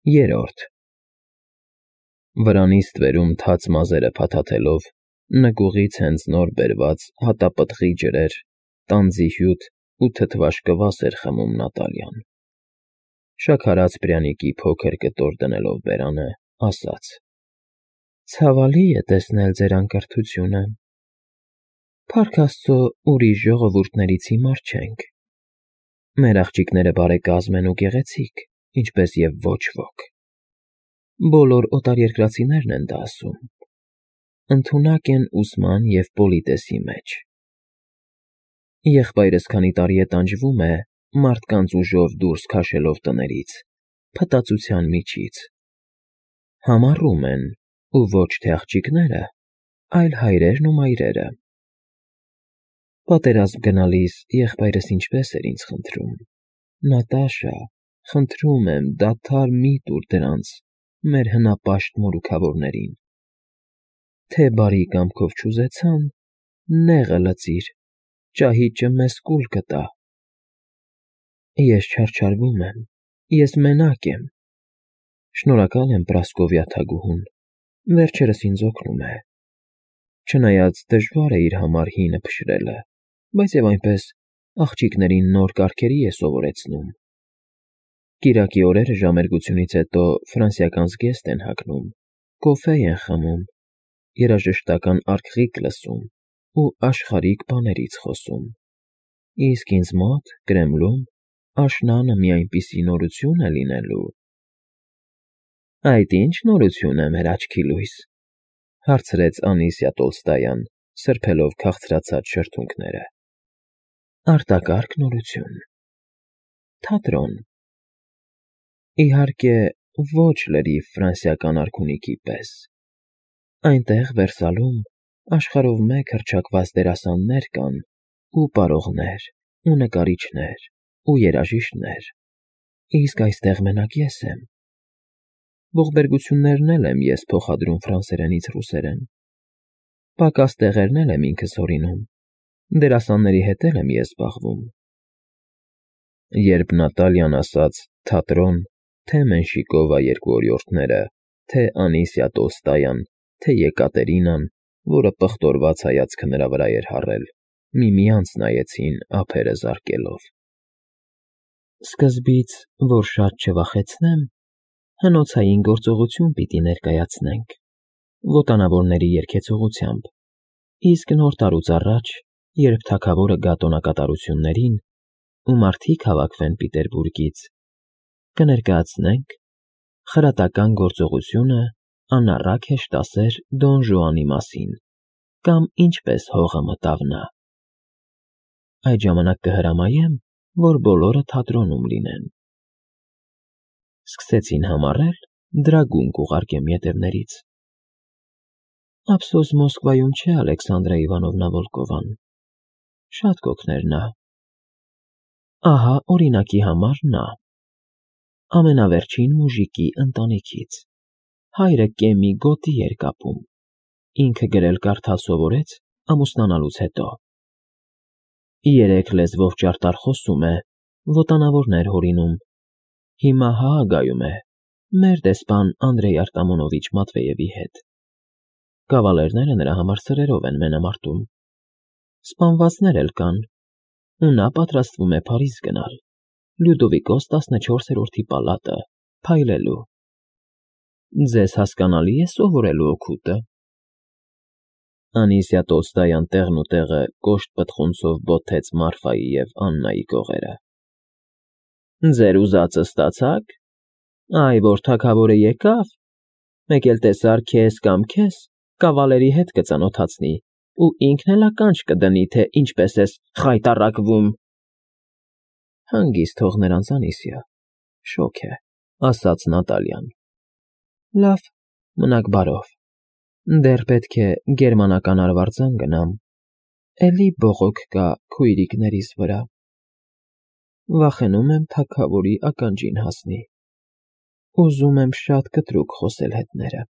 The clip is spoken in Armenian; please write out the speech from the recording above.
Երրորդ Վրանից ստվերում թաց մազերը փաթաթելով, նկուղից հենց նոր բերված հատապտղի ջրեր, տանձի հյութ ու թթվաշ կվաս էր խմում Նատալիան։ Շաքարած պրյանիկի փոքր կտոր դնելով բերանը, ասաց. «Ցավալի է տեսնել ձեր անկրթությունը։ Փառք Աստծո, ուրիշ ժողովուրդներից հիմար չենք։ Մեր աղջիկները բարեկազմ են ու գեղեցիկ, ինչպես և ոչ ոք։ Բոլոր օտարերկրացիներն են դա ասում։ Ընդունակ են ուսման և պոլիտեսի մեջ։ Եղբայրս քանի տարի է տանջվում է, մարդկանց ուժով դուրս քաշելով տներից, փտածության միջից։ Համառում են, ու ոչ թե աղջիկները, այլ հայրերն ու մայրերը։ Պատերազմ գնալիս եղբայրս ինչպես էր ինձ խնդրում. «Նատաշա, խնդրում եմ, դադար մի տուր դրանց, մեր հնապաշտ մորուքավորներին։ Թե բարի կամքով չուզեցան, նեղը լծիր, ճահիճը մեզ կուլ կտա»։ Ես չարչարվում եմ, ես մենակ եմ։ Շնորհակալ եմ Պրասկովյա թագուհուն, վերջերս ինձ օգնում է։ Չնայած դժվար է իր համար հինը փշրելը, բայց և այնպես աղջիկներին նոր կարգերի է սովորեցնում։ Կիրակի օրերը ժամերգությունից հետո ֆրանսիական զգեստ են հագնում, կոֆե են խմում, երաժշտական արգղիկ լսում ու աշխարհիկ բաներից խոսում։ Իսկ ինձ մոտ, Կրեմլում, աշնանը մի այնպիսի նորություն է լինելու… Այդ ի՞նչ նորություն է, մեր աչքի լույս, հարցրեց Անիսիա Տոլստոյան, սրբելով քաղցրացած շրթունքները։ Արտակարգ նորություն… Թատրոն։ Իհարկե, ոչ լրիվ ֆրանսիական արքունիքի պես։ Այնտեղ Վերսալում աշխարհով մեկ հռչակված դերասաններ կան, ու պարողներ, ու նկարիչներ, ու երաժիշտներ, իսկ այստեղ մենակ ես եմ։ Ողբերգություններն էլ եմ ես փոխադրում ֆրանսերենից ռուսերեն։ Պակաս տեղերն էլ եմ ինքս հորինում, դերասանների հետ էլ եմ ես զբաղվում։ Երբ Նատալիան ասաց թատրոն, թե Մենշիկովա երկու օրիորդները, թե Անիսիա Տոլստոյան, թե Եկատերինան, որը պղտորված հայացքը նրա վրա էր հառել, միմյանց նայեցին ափերը զարկելով։ Սկզբից, որ շատ չվախեցնեմ, հնոցային գործողություն պիտի ներկայացնենք, ոտանավորների երգեցողությամբ, իսկ Նոր տարուց առաջ, երբ թագավորը գա տոնակատարություններին, ու մարդիկ հավաքվեն Պիտերբուրգից, կներկայացնենք խրատական գործողությունը անառակ հեշտասեր Դոն Ժուանի մասին, կամ ինչպես հողը մտավ նա։ Այդ ժամանակ կհրամայեմ, որ բոլորը թատրոնում լինեն։ Սկսեցին համառել, դրագուն կուղարկեմ ետևներից։ Ափսոս Մոսկվայում չէ Ալեքսանդրա Իվանովնա Վոլկովան, շատ կօգներ նա։ Ահա օրինակի համար նա։ Ամենավերջին մուժիկի ընտանիքից, հայրը կեմի գոտի էր կապում, ինքը գրել֊կարդալ սովորեց ամուսնանալուց հետո։ 3 լեզվով ճարտար խոսում է, ոտանավորներ հորինում, հիմա Հաագայում է, մեր դեսպան Անդրեյ Արտամոնովիչ Մատվեևի հետ։ Կավալերները նրա համար սրերով են մենամարտում։ Սպանվածներ էլ կան, ու նա պատրաստվում է Փարիզ գնալ, Լյուդովիկոս 14-րդի պալատը, փայլելու։ Ձեզ հասկանալի է սովորելու օգուտը։ Անիսիա Տոլստոյան տեղն ու տեղը կոշտ պտղունցով բոթեց Մարֆայի և Աննայի կողերը։ Ձեր ուզածը ստացա՞ք։ Այ որ թագավորը եկավ, մեկ էլ տեսար քեզ կամ քեզ, կավալերի հետ կծանոթացնի ու ինքն էլ ականջ կդնի, թե ինչպես ես խայտառակվում։ Հանգիստ թող նրանց, Անիսիա, շոգ է, ասաց Նատալիան։ Լավ, մնաք բարով, դեռ պետք է գերմանական արվարձան գնամ, էլի բողոք կա քույրիկներիս վրա։ Վախենում եմ թագավորի ականջին հասնի։ Ուզում եմ շատ կտրուկ խոսել հետները։